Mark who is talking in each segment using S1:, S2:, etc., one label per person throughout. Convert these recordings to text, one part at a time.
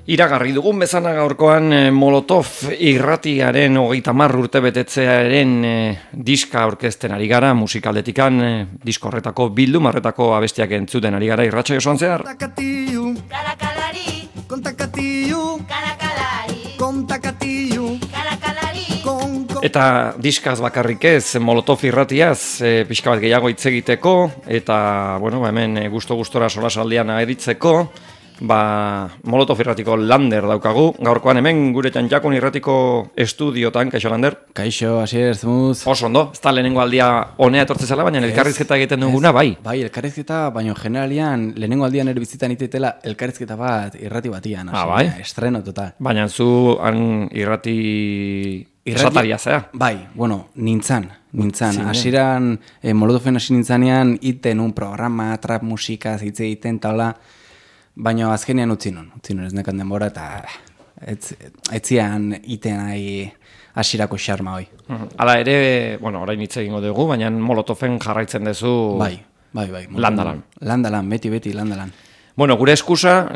S1: Iragarri dugun bezala gaurkoan Molotov irratiaren 30 urte betetzearen diska aurkezten ari gara, musikaldetikan disko horretako bilduma horretako abestiak entzuten ari gara irratsaio osoan zehar. Eta diskaz bakarrik ez, Molotov irratiaz pixka bat gehiago hitz egiteko eta hemen gusto-gustora solasaldian aritzeko. Molotov irratiko Lander daukagu. Gaurkoan hemen gure Txantxakun irratiko estudiotan, kaixo Lander?
S2: Kaixo, Asier, zemuz.
S1: Oso ondo, ez da lehenengo aldia honea etortze zela, baina elkarrizketa egiten duguna, bai.
S2: Bai, elkarrizketa, baina generalian lehenengo aldian erbizitan iteitela elkarrizketa bat irrati batian.
S1: Bai?
S2: Estreno total.
S1: Baina zu han irrati esataria zea?
S2: Bai, nintzan. Hasieran Molotoven hasi nintzanean iten un programa, trap musika, hitz egiten, taula. Baina azkenean utzi non ez nekan denbora eta etzian iten nahi hasierako xarma hoi.
S1: Hala ere, orain hitz egingo dugu, baina Molotoven jarraitzen duzu
S2: bai.
S1: Landalan.
S2: Landalan, beti Landalan.
S1: Gure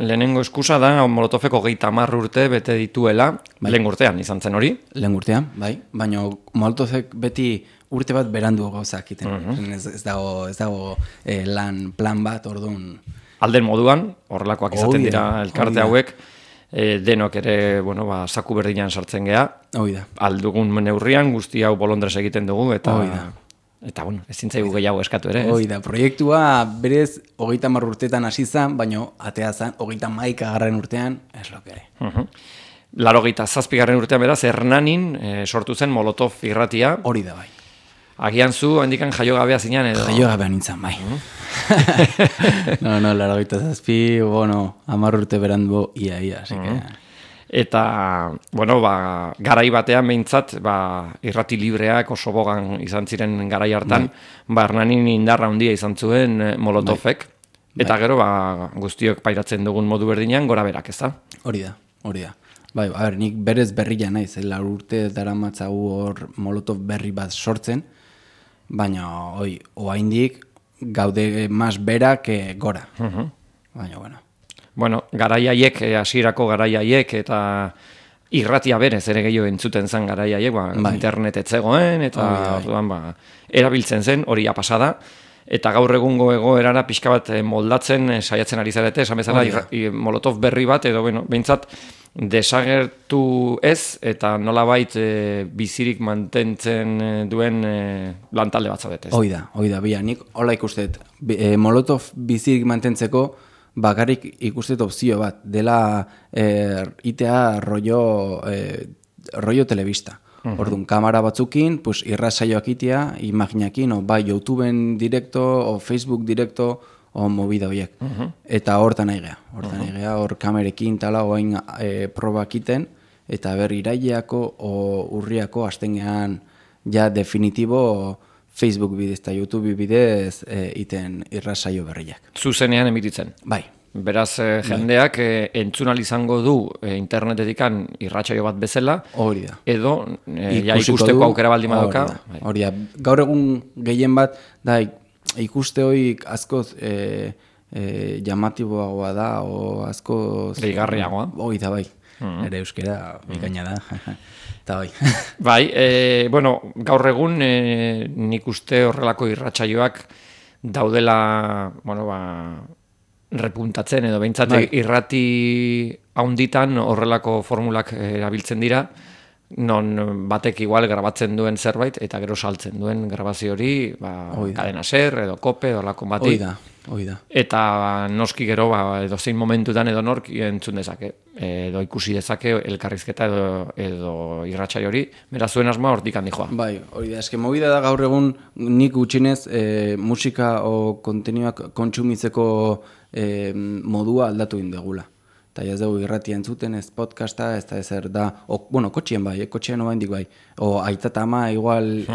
S1: lehenengo eskusa da Molotoveko 30 urte bete dituela, lehen urtean izan zen hori?
S2: Lehen urtean, bai. Baina Molotovek beti urte bat berandu gauzak iten. Ez dago lan plan bat, orduan.
S1: Alden moduan, horrelakoak izaten dira elkarte hauek, denok ere, saku berdinan sartzen geha. Aldugun neurrian, guzti hau bolondrez egiten dugu, eta ezin zaigu gehiago eskatu ere.
S2: Proiektua berez 30 urteetan hasi zen, baina atea zen 31 urtean, ez lokere.
S1: 87 urtean beraz, Hernanin sortu zen Molotov irratia.
S2: Hori da, bai.
S1: Agian zu, handikan jaiogabea zinean edo?
S2: Jaiogabea nintzen, bai. No, 87, 10 urte berandu ia, así que...
S1: Eta, garai batean behintzat, irrati libreak oso bogan izan ziren garai hartan, Hernanin indarra handia izan zuen Molotovek, eta gero guztiok pairatzen dugun modu berdinean gora berak, ez da?
S2: Hori da. Bai, nik berez berria naiz, 4 urte daramatzagu hor Molotov berri bat sortzen, baina, oaindik gaude mas berak gora. Baina,
S1: garaiaiek, hasierako garaiaiek, eta irratia berez ere gehiago entzuten zen garaiaiek, internet etzegoen, eta erabiltzen zen, hori pasada, eta gaur egungo egoerara pixka bat moldatzen saiatzen ari zarete, esan bezala Molotov berri bat, edo behintzat, desagertu ez, eta nolabait bizirik mantentzen duen lantalde bat zaudetez.
S2: Hoi da, nik hola ikustet. Molotov bizirik mantentzeko bakarrik ikustet opzio bat, dela itea rollo telebista. Orduan, kamera batzukin, irrasaioak itea, imaginakin, bai YouTubeen direkto, o Facebook direkto, o movida horiek. Eta hortan nahi geha. Hor kamerekin tala oain probak iten, eta iraileako o urriako hasten gehan ja definitibo Facebook bidez eta YouTube bidez iten irrasaio berriak.
S1: Zuzenean emititzen?
S2: Bai.
S1: Beraz, jendeak entzunal izango du internetetikan irratsaio bat bezala,
S2: hori da.
S1: Edo ikusteko aukera baldin badoka.
S2: Hori da. Gaur egun gehien bat, da ikuste hoik askoz llamatiboagoa da, o askoz...
S1: Deigarriagoa.
S2: Hoi da, bai. Ere euskera bikaina da. Eta bai.
S1: Bai, gaur egun nik uste horrelako irratsaioak daudela, repuntatzen edo behintzat irrati haunditan horrelako formulak erabiltzen dira, non batek igual grabatzen duen zerbait eta gero saltzen duen grabazio hori, Cadena Ser edo Kope edo lako bati.
S2: Hoi da.
S1: Eta noski gero edo zein momentutan edo nork entzun dezake, edo ikusi dezake elkarrizketa edo irratsaio hori, beraz zuen asmoa hortik handi joa.
S2: Bai, hori da, eske movida da gaur egun nik gutxinez musika o konteniduak kontsumitzeko modua aldatu indegula. Eta ez dugu irratia entzuten, ez podcasta, ez da ezer da, kotxien bai, kotxien oaindik bai, o aita eta ama igual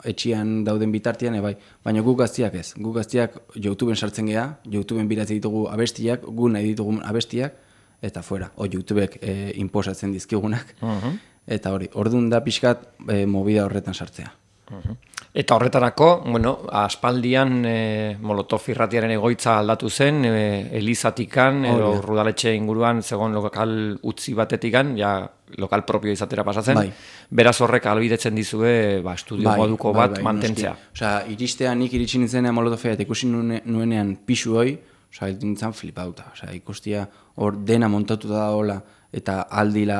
S2: etxian dauden bitartian, bai, baina guk gaztiak ez. Guk gaztiak YouTubeen sartzen geha, YouTubeen biratzen ditugu abestiak, gu nahi ditugu abestiak, eta fuera, YouTubek inposatzen dizkigunak, eta hori, orduan da pixkat movida horretan sartzea.
S1: Eta horretarako, aspaldian Molotov irratiaren egoitza aldatu zen, Elizatikan, edo Urrudaletxe inguruan, zegoen lokal utzi batetikan, ja lokal propio izatera pasatzen, beraz horrek albidetzen dizue estudio moduko bat mantentzea.
S2: Osea, nik iritsi nintzen Molotofea eta ikusi nuenean pixu hoi, nintzen flipauta. Ikustia hor dena montatuta da hola, eta aldi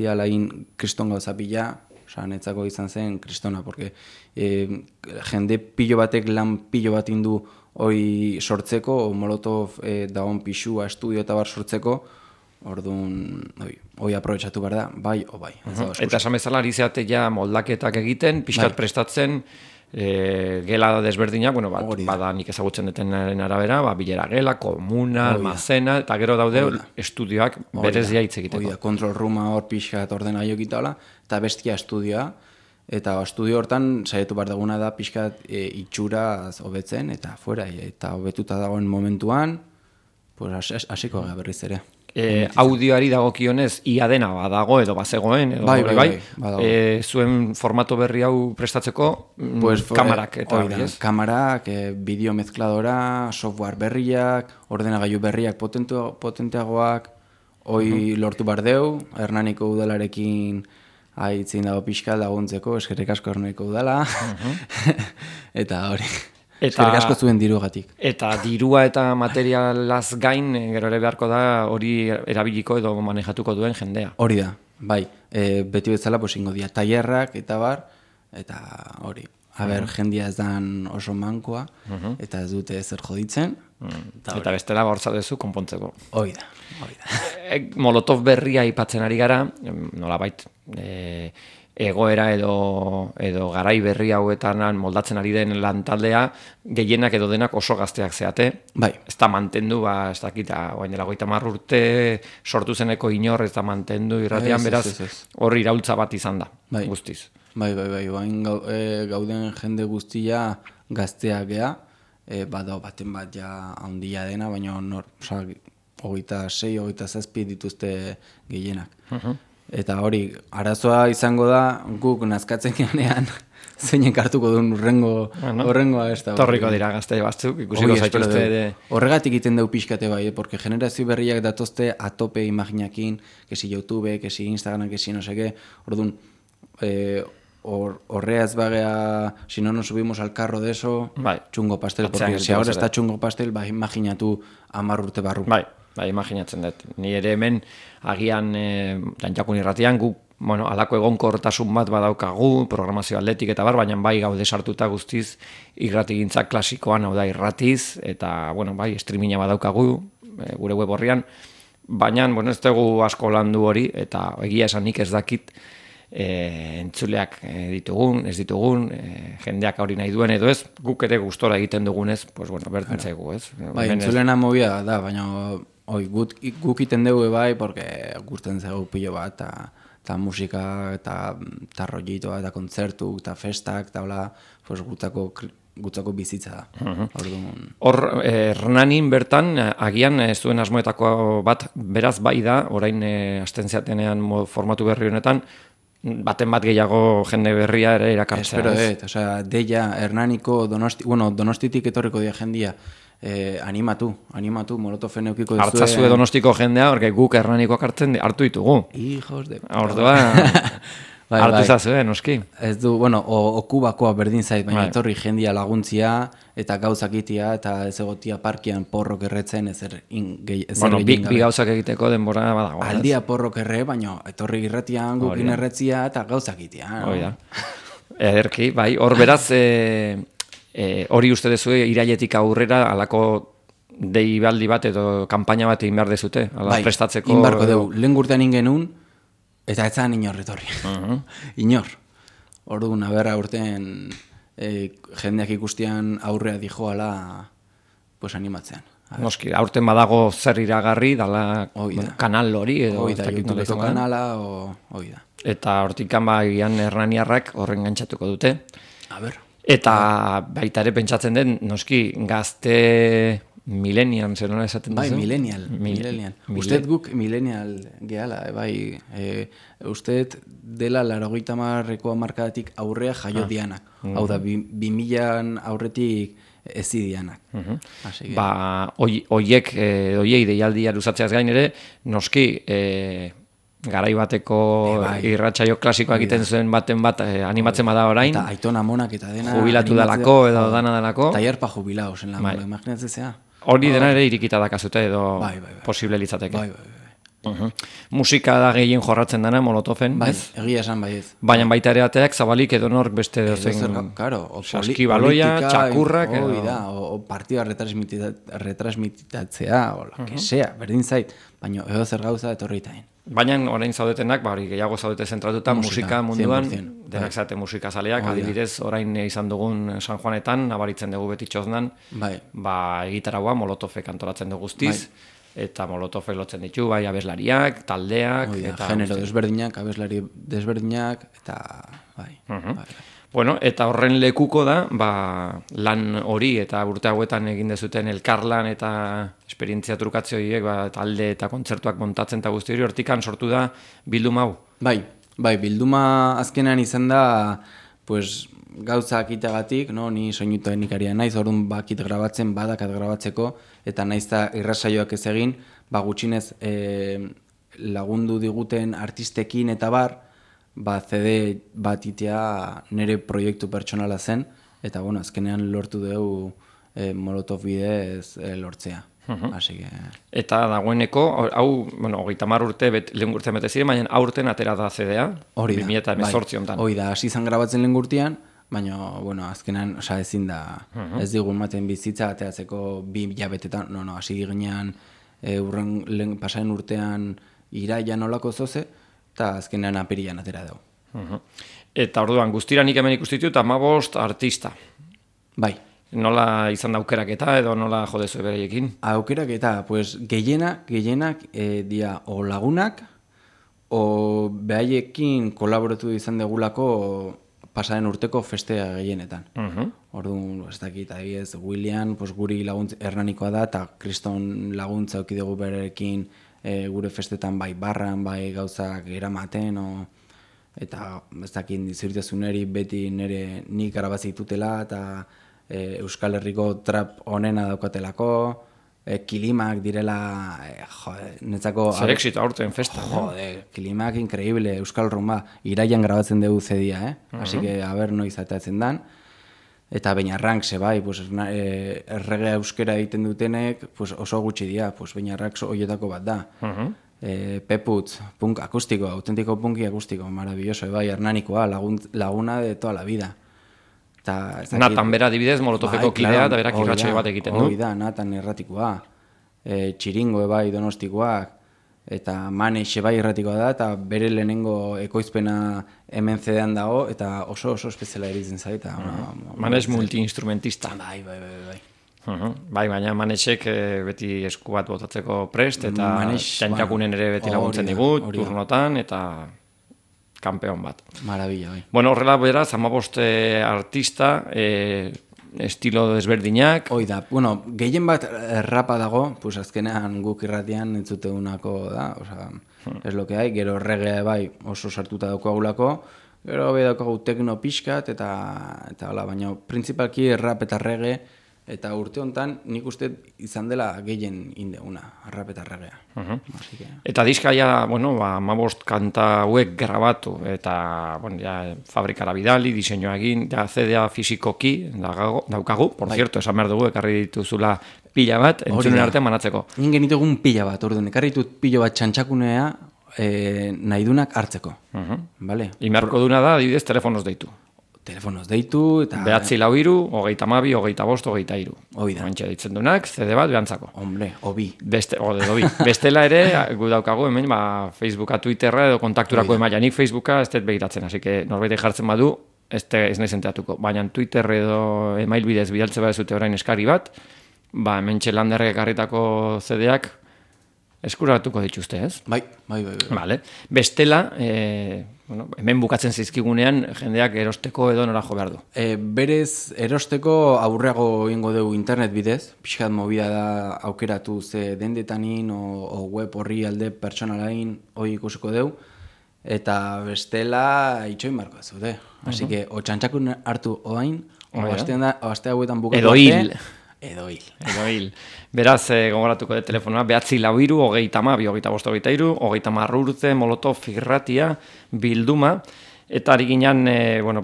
S2: alain kriston gauza pila, netzako izan zen kristona, porque jende pilo batek lan pilo bat indu hoi sortzeko, Molotov dagoen pixua, estudio eta bar sortzeko, orduan hoi aprobetxatu behar da, bai o bai.
S1: Eta esan bezala ari zeate ja moldaketak egiten, pixkat prestatzen, gela desberdinak, bada nik ezagutzen detenaren arabera, bilera gela, komuna, almazena, eta gero daude estudioak berezia hitz egiteko.
S2: Control rooma hor pixkat ordena jokita hola, eta bestia estudioa, eta estudio hortan saietu behar duguna da pixkat itxura hobetzen, eta fuera, eta hobetuta dagoen momentuan, hasiko gara berriz ere.
S1: Audioari dagokionez ia dena badago edo bazegoen edo bai. Zuen formato berri hau prestatzeko kamarak eta
S2: kamarak, bideo mezkladora, software berriak, ordenagailu berriak potenteagoak, hoi lortu bardeu, Hernaniko udalarekin haitzin dago pixka laguntzeko, eskerrik asko Hernaniko udala, eta hori. Eskerrik asko zuen dirugatik.
S1: Eta dirua eta materialaz gain, gero ere beharko da hori erabiliko edo manejatuko duen jendea.
S2: Hori da, bai. Beti bezala ingo dia tailerrak eta bar, eta hori. Jendia ez dan oso mankoa, eta ez dute ezer joditzen.
S1: Eta bestela bortza dezu konpontzeko.
S2: Hori da.
S1: Molotov berria aipatzen ari gara, nolabait, egoera edo garai berri hauetan moldatzen ari den lantaldea, gehienak edo denak oso gazteak zeate.
S2: Bai.
S1: Ez da mantendu, ez dakita, oain dela 30 urte sortu zeneko inor, ez da mantendu irratian, beraz hor iraultza bat izan da, guztiz.
S2: Bai, oain gauden jende guztia gazteak gea, badao baten bat ja handia dena, baina 26-27 dituzte gehienak. Eta hori, arazoa izango da, guk nazkatzen geanean, zeinen kartuko duen horrengoa ez da.
S1: Torriko dira gazte batzuk, ikusiko zaituzte ere.
S2: Horregatik iten deu pixkate bai, porque generazio berriak datozte atope imaginakin, kesi YouTube, kesi Instagram, kesi no seke, orduan, horreaz bagea, si no nos subimos al carro de eso, txungo pastel, porque si ahora está txungo pastel, imaginatu 10 urte barru.
S1: Bai, imaginatzen dut. Ni ere hemen agian Dantxakun irratian guk, alako egonkortasun bat badaukagu, programazio atletik eta baina bai gaude sartuta guztiz irratigintza klasikoan, hau da irratiz, eta streaminga badaukagu gure web horrian, baina ez dugu asko landu hori, eta egia esan nik ez dakit entzuleak ditugun, ez ditugun, jendeak hori nahi duen edo ez, guk ere gustora egiten dugunez, berdin zaigu, ez?
S2: Bai, entzulena mobia da, baina guk iten dugu bai, porque gusten zaigu pilo bat, eta musika, eta rollitoa, eta kontzertu, eta festak, eta hola, gutzako bizitza da.
S1: Hor, Hernanin bertan, agian zuen asmoetako bat, beraz bai da, orain hasten zeatenean formatu berri honetan, baten bat gehiago jende berria ere irakartzea.
S2: Espero deia Hernaniko Donostitik etorriko dia jendia, animatu, Molotofen eukiko duzue.
S1: Hartzazue Donostiko jendea, orke guk Hernanikoak hartu ditugu.
S2: Hijos de...
S1: Ordua, hartu zazue, noski.
S2: Ez du, okubakoa berdin zait, baina etorri jendia laguntzia, eta gauzak itia, eta ez egotia parkian porrok erretzen, ezer
S1: bi gauzak egiteko denbora badago.
S2: Aldia porrok erre, baina etorri irratian gukin erretzia, eta gauzak itia.
S1: Ederki, bai, hor beraz... hori uste dezue irailetik aurrera alako deibaldi bat edo kanpaina bat egin behar dezute, prestatzeko...
S2: Bai, inbarko dugu, lehen gurtean ingenun, eta ez zan inor etorri. Inor. Orduan, aberra urtean jendeak ikustian aurrea dijoala animatzean.
S1: Noski, aurten badago zer iragarri, dala kanal hori edo...
S2: Oida, YouTubeko kanala, oida.
S1: Eta hortikan bagian hernaniarrak horren gantzatuko dute.
S2: A ber...
S1: Eta baita ere pentsatzen den, noski, gazte millennial, zer nola esaten duzu?
S2: Bai, millennial. Usted guk millennial gehala, bai, usted dela 80ko hamarkadatik aurrea jaio dianak. Hau da, 2000 aurretik ezidianak.
S1: Oiei deialdia luzatzeaz gain ere, noski garai bateko irratsaio klasikoak egiten zuen baten bat animatzen bada orain.
S2: Eta Aitona Monak eta dena.
S1: Jubilatu dalako edo dana dalako.
S2: Tailer pa jubilaos en la mola, imaginatzen zea.
S1: Hori dena ere irikita dakazute edo posible litzateke. Musika da gehien jorratzen dena Molotoven, ez?
S2: Egia esan bai ez.
S1: Baina baita ere ateak zabalik edo nork beste dozen saskibaloia, txakurrak
S2: o partida retransmitatzea o lo que sea, berdin zait, baina edo zer gauza etorritain.
S1: Baina orain zaudetenak, gehiago zaudete zentratuta musika munduan, denak zate musika zaleak, adibidez orain izan dugun San Juanetan, nabaritzen dugu beti txoznan, egitaragoa Molotofek antolatzen dugu guztiz, eta Molotofek lotzen ditu, abeslariak, taldeak,
S2: eta genero desberdinak, abeslari desberdinak, eta
S1: Bueno, eta horren lekuko da, lan hori eta urte hauetan egin dezuten elkarlan eta esperientzia trukatze horiek, talde eta kontzertuak montatzen eta guzti hori, hortikan sortu da bilduma hau?
S2: Bai, bilduma azkenean izan da, pues, gauzak itagatik, no? Ni soinu teknikaria naiz, orduan bakit grabatzen, badakat grabatzeko, eta naiz da irrasaioak ez egin, gutxinez lagundu diguten artistekin eta bar, CD bat itea nire proiektu pertsonala zen, eta azkenean lortu dugu Molotov bidez lortzea.
S1: Eta dagoeneko, hau, 30 urte, lehen urtean bete ziren, baina aurten atera da CD-a, 2018 honetan.
S2: Hori da, hasi izan grabatzen lehen urtean, baina, azkenean, ezin da, ez digun maten bizitza, ateratzeko 2 hilabetetan, hasi ginean, pasaren urtean iraian olako zoze, eta azkenean apirian atera dugu.
S1: Eta orduan, guztira nik hemen ikustitut, 15 artista.
S2: Bai.
S1: Nola izan da aukeraketa edo nola jodezu bereiekin?
S2: Aukeraketa, pues, gehienak dia o lagunak, o behaiekin kolaboratu izan degulako pasaren urteko festea gehienetan. Orduan, ez dakit, adibidez, William, pues, guri laguntza Hernanikoa da, eta Kriston laguntza auki dugu berekin gure festetan bai barran, bai gauzak eramaten, eta ez dakit dizirtezuneri beti nire nik arabazitutela, eta Euskal Herriko trap onena daukatelako, kilimak direla, netzako...
S1: Zer exito aurten festa.
S2: Kilimak increíble, Euskal Rumba, iraian grabatzen dugu zedia, Así que, a ver, noiz atatzen dan. Eta Beñarrank, bai, erregea euskera egiten dutenek oso gutxi dira, Beñarrank horietako bat da. Peputz, punk akustiko, autentiko punki akustiko, maravilloso, bai, Hernanikoa, laguna de toda la vida.
S1: Natan bera adibidez, Molotofeko kidea, eta berak irratsaio bat egiten du.
S2: Hori da, Natan erratikoa, Txiringo, bai, Donostikoak, eta Manex bai irratikoa da, eta bere lehenengo ekoizpena hemen CD-an dago, eta oso espeziala eritzen zaita.
S1: Manex multi-instrumentista.
S2: Bai.
S1: Bai, baina Manexek beti esku bat botatzeko prest, eta txantxakunen ere beti laguntzen digut, turnotan, eta kanpeon bat.
S2: Marabila, bai.
S1: Bueno, horrela beraz, 15 artista, estilo desberdinak.
S2: Hoi da, gehien bat rapa dago, azkenean guk irratian entzute unako da, es lo que hay, gero reggae bai oso sartuta daukagulako, gero bai daukagu tekno pixkat, eta baina principalki rap eta reggae, eta urte honetan nik uste izan dela gehien indeuna, rap eta reggaea.
S1: Eta diskaia, 15 kanta hauek grabatu, eta fabrikara bidali, diseinua egin, CD-a fisikoki daukagu, por cierto, esan behar dugu, ekarri dituzula pila bat, entzunen artean manatzeko.
S2: Ningen ditugun pila bat, orduan, ekarri ditut pila bat txantxakunea nahi dunak hartzeko.
S1: Imerko duna da, adibidez, telefonoz deitu.
S2: Telefonoz deitu, eta...
S1: 943, 22, 25, 23.
S2: Hoi da.
S1: Mantxe ditzen dunak, CD bat behantzako.
S2: Hombre, obi.
S1: Bestela ere, gu daukagu hemen, Facebooka, Twitterra edo kontakturako emaila. Nik Facebooka ez dut begiratzen, así que norbait jartzen badu, ez nahi zenteatuko. Baina Twitter edo email bidez bidaltze bat zute orain eskari bat, hemen txelanderrek ekarritako CD-ak eskuratuko dituzte, ez?
S2: Bai.
S1: Vale. Bestela, bueno, hemen bukatzen zizkigunean jendeak erosteko edo nora jo behar du.
S2: Berez erosteko aurreago ingo dugu internet bidez, pixkat movida da aukeratu ze dendetanin o web horri alde pertsonalain hori ikusiko dugu, eta bestela itxoin barko zute. Así que, o txantxakun hartu oain, o aste hauetan bukatu arte, edo hil.
S1: Beraz, gogoratuko de telefonoa, 943 22 25 30 urte, Molotov irratia, bilduma, eta ari ginen,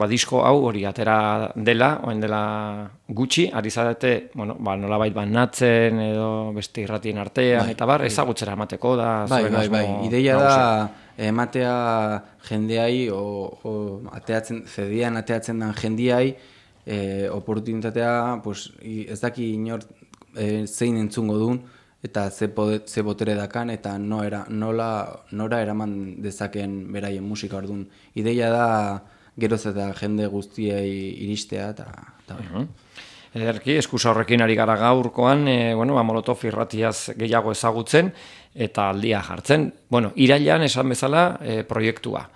S1: disko hau hori atera dela, oen dela gutxi, ari zarete, nolabait banatzen edo beste irratien artean, eta ezagutzera emateko da.
S2: Bai, ideia da, ematea jendeai, zedian ateatzen den jendeai, oportunitatea, ez daki inor zein entzungo duen, eta ze botere dakan, eta nora eraman dezaken beraien musika orduan. Ideia da, geroz eta jende guztiei iristea, eta
S1: Ederki, eskusa horrekin ari gara gaurkoan, Molotov irratiaz gehiago ezagutzen, eta aldia jartzen. Irailean esan bezala proiektua.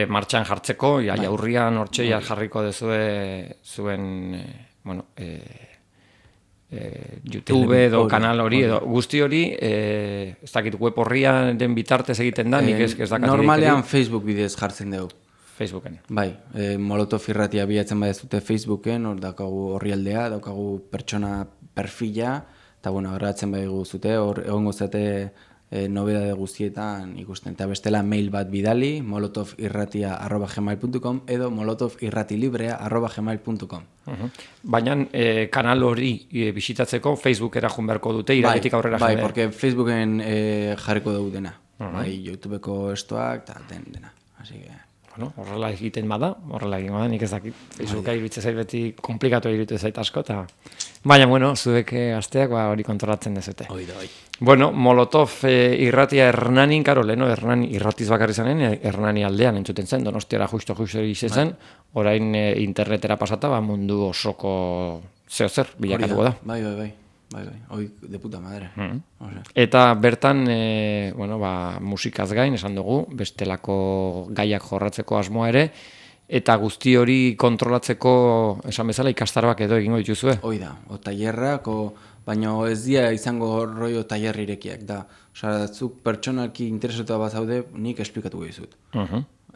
S1: Martxan jartzeko, jaurrian hortxeia jarriko dezue zuen YouTube edo kanal hori, edo guzti hori, ez dakit web horrian den bitartez egiten da, nik ez dakit.
S2: Normalean Facebook bidez jartzen dugu.
S1: Facebooken.
S2: Bai, Molotov irratia bilatzen badezute Facebooken, hor daukagu horrialdea, daukagu pertsona perfila, eta horretzen badigu zute, hor egongo zate nobedade guztietan ikusten. Eta bestela mail bat bidali, molotovirratia@gmail.com edo molotovirratilibrea@gmail.com.
S1: Baina kanal hori bisitatzeko Facebookera joan beharko dute, iragetik aurrera
S2: jende. Bai, porque Facebooken jarriko dugu dena. Bai, YouTubeko estoak eta dena. Así que...
S1: horrela egiten bada, nik ez dakit. Facebooka iruditzen zait beti komplikatu iruditzen zait asko, baina, zuek asteak hori kontrolatzen dezute.
S2: Oi.
S1: Molotov irratia Hernanin, leheno Hernani irratiz bakarri zanen, Hernani aldean entzuten zen, Donostiara justo zen, orain internetera pasata, mundu osoko zehozer bilakatuko da.
S2: Bai, hoi de puta madre.
S1: Eta bertan, musikaz gain, esan dugu, bestelako gaiak jorratzeko asmoa ere, eta guzti hori kontrolatzeko, esan bezala, ikastarrak edo egingo dituzue?
S2: Hoi da, tailerrak, baina ez dira izango rollo tailer irekiak da. Zuk pertsonalki interesatu bat zaude, nik esplikatu dizut.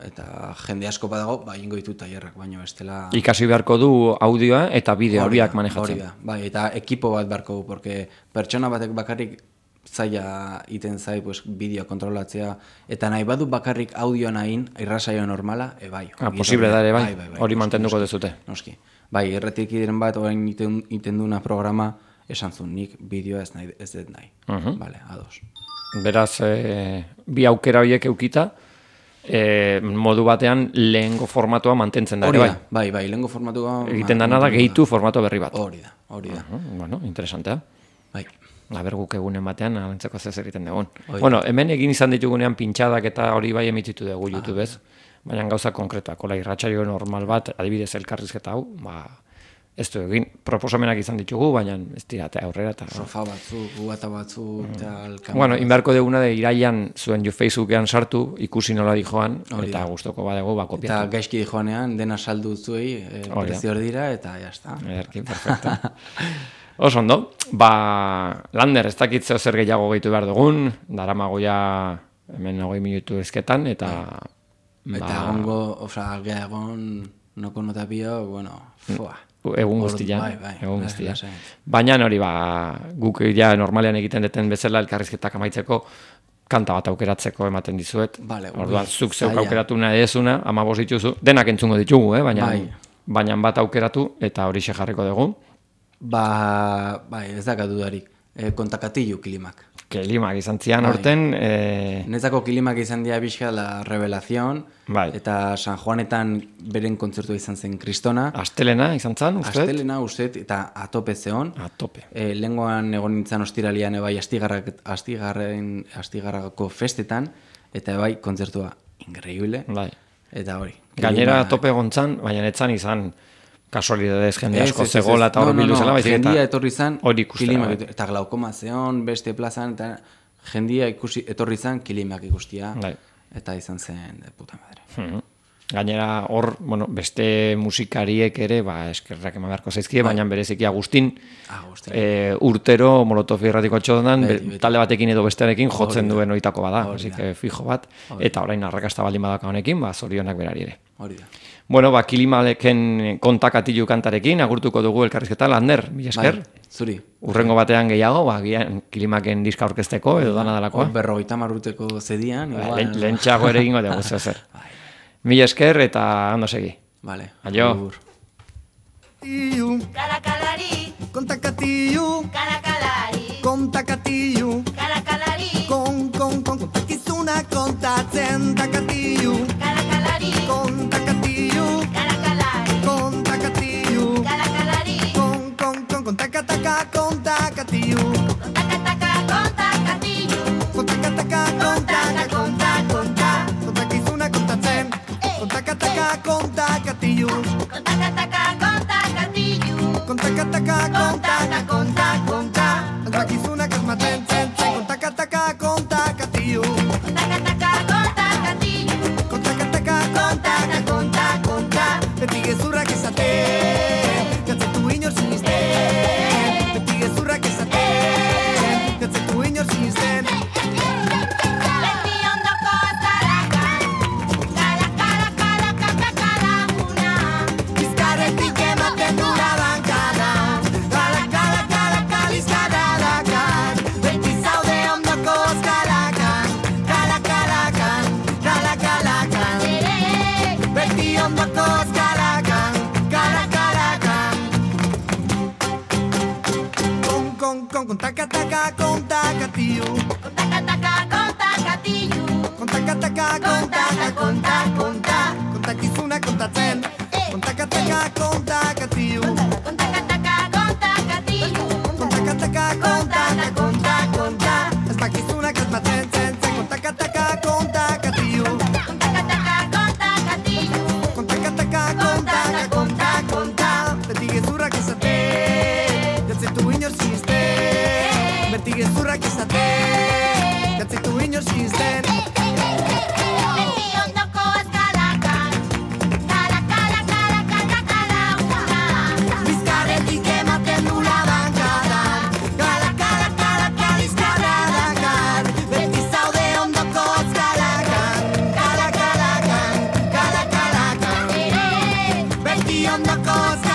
S2: Eta jende asko badago, ingo ditut tailerrak, baina bestela...
S1: Ikasi beharko du audioa eta bideo horiak manejatzen.
S2: Bai, eta ekipo bat beharko du, porque pertsona batek bakarrik zaila iten zai bideo kontrolatzea, eta nahi badu bakarrik audioa nahin, irrasaio normala, bai.
S1: Posible da ere, bai, hori mantenduko dezute.
S2: Noski. Bai, erretik diren bat, orain iten duna programa, esan zuen, nik bideoa ez dut nahi. Bale, ados.
S1: Beraz, bi aukera horiek eukita, modu batean lehengo formatua mantentzen da.
S2: Bai, lehengo formatua...
S1: Egiten dana da gehitu formato berri bat.
S2: Hori da.
S1: Interesantea.
S2: Bai.
S1: Aber guk egunen batean, alentzeko zez egiten dugun. Hemen egin izan ditugunean pintxadak eta hori bai emititu dugu YouTubez, baina gauza konkretak, irratsaio normal bat, adibidez elkarrizketa hau, ez du egin, proposamenak izan ditugu, baina ez dira, aurrera eta...
S2: Sofa batzuk, gubata batzuk,
S1: inbarko duguna de irailan zuen Facebookean sartu, ikusi nola dijoan, eta gustoko badego kopiatu.
S2: Eta gaizki dijoanean, dena saldu zuei, prezio dira, eta jazta.
S1: Ederki, perfecto. Oso ondo, Lander, ez dakit zeo zer gehiago gehitu behar dugun, daramagoia hemen 20 minutu ezketan, eta...
S2: Eta egongo, egon, noko notapio, foa.
S1: Egun guztia, egun guztia. Baina hori, guk ja normalean egiten deten bezala elkarrizketak amaitzeko kanta bat aukeratzeko ematen dizuet. Orduan, zuk zeuk aukeratu nahi ezuna, 15 dituzu, denak entzungo ditugu, baina bat aukeratu eta hori jarriko dugu.
S2: Ez dakat dudarik. Kontakatilu kilimak.
S1: Kilimak izan zian horten...
S2: Netzako kilimak izan dira bizka la revelación, eta San Juanetan beren kontzertua izan zen Kristona.
S1: Astelena izan zen, uste?
S2: Astelena, uste, eta atope zeon.
S1: Atope.
S2: Lengoan egon nintzen ostiralian, astigarrako festetan, eta kontzertua increíble. Eta hori.
S1: Gainera atope gontzan, baina netzan izan... Kasualidadez, jende asko zegoela eta hori bildu zela, baizik eta...
S2: Jendia etorri zan,
S1: kilimak
S2: eta glaukoma zeon, beste plazan, eta jendia etorri zan kilimak ikustia, eta izan zen de puta madre.
S1: Gainera hor, bueno, beste musikariek ere, eskerrak eman beharko zaizkie, baina bereziki Agustin, urtero Molotov irratiko txodan, talde batekin edo bestearekin jotzen duen oitako bada, así que fijo bat, eta orain arrakasta baldin badaka honekin, zorionak berari ere. Bueno, Kilimaleken kontakatilu kantarekin, agurtuko dugu elkarrizketa, Lander, mila esker.
S2: Zuri.
S1: Urrengo batean gehiago, Kilimaken diska aurkezteko, edo dana dalakoa.
S2: 50 urteko zedian.
S1: Lehentxago ere egingo dugu, zer. Mila esker eta ondo segi.
S2: Vale.
S1: Aio.
S3: Karakalari, kontakatilu, karakalari, kontakatilu, karakalari, kontakizuna kontatzen takatilu, karakalari, kontakatilu, karakalari, kontakatilu, karakalari, kontakataka kontakatilu, kontakataka kontakatilu, kontakataka kontakizuna kontatzen, kontakataka kontakatilu, kontakataka albakizunak asmaten zen, kontakataka kontakatilu, kontakataka beti gezurrak esaten, gatzetu inor sinisten, beti gezurrak esaten, gatzetu inor sinisten. Beti ondoko azarakan, kala bizkarretik ematen dura bankada. Beti zaude ondoko ozkalakan, kala-kalakan, beti ondoko ozkalakan, kala-kalakan. Kontakataka kontakatilu, kontakizuna kontatzen, kontakataka kontakatilu, ez bakizunak asmatzen zen, kontakataka kontakatilu, kontakataka beti gezurrak esaten, gatzetu inor sinisten, beti gezurrak esaten, gatzetu inor sinisten. Beti ondoko azkalakan, bizkarretik ematen dula bankada, beti zaude ondoko azkalakan, kala-kalakan, beti ondoko azkalakan.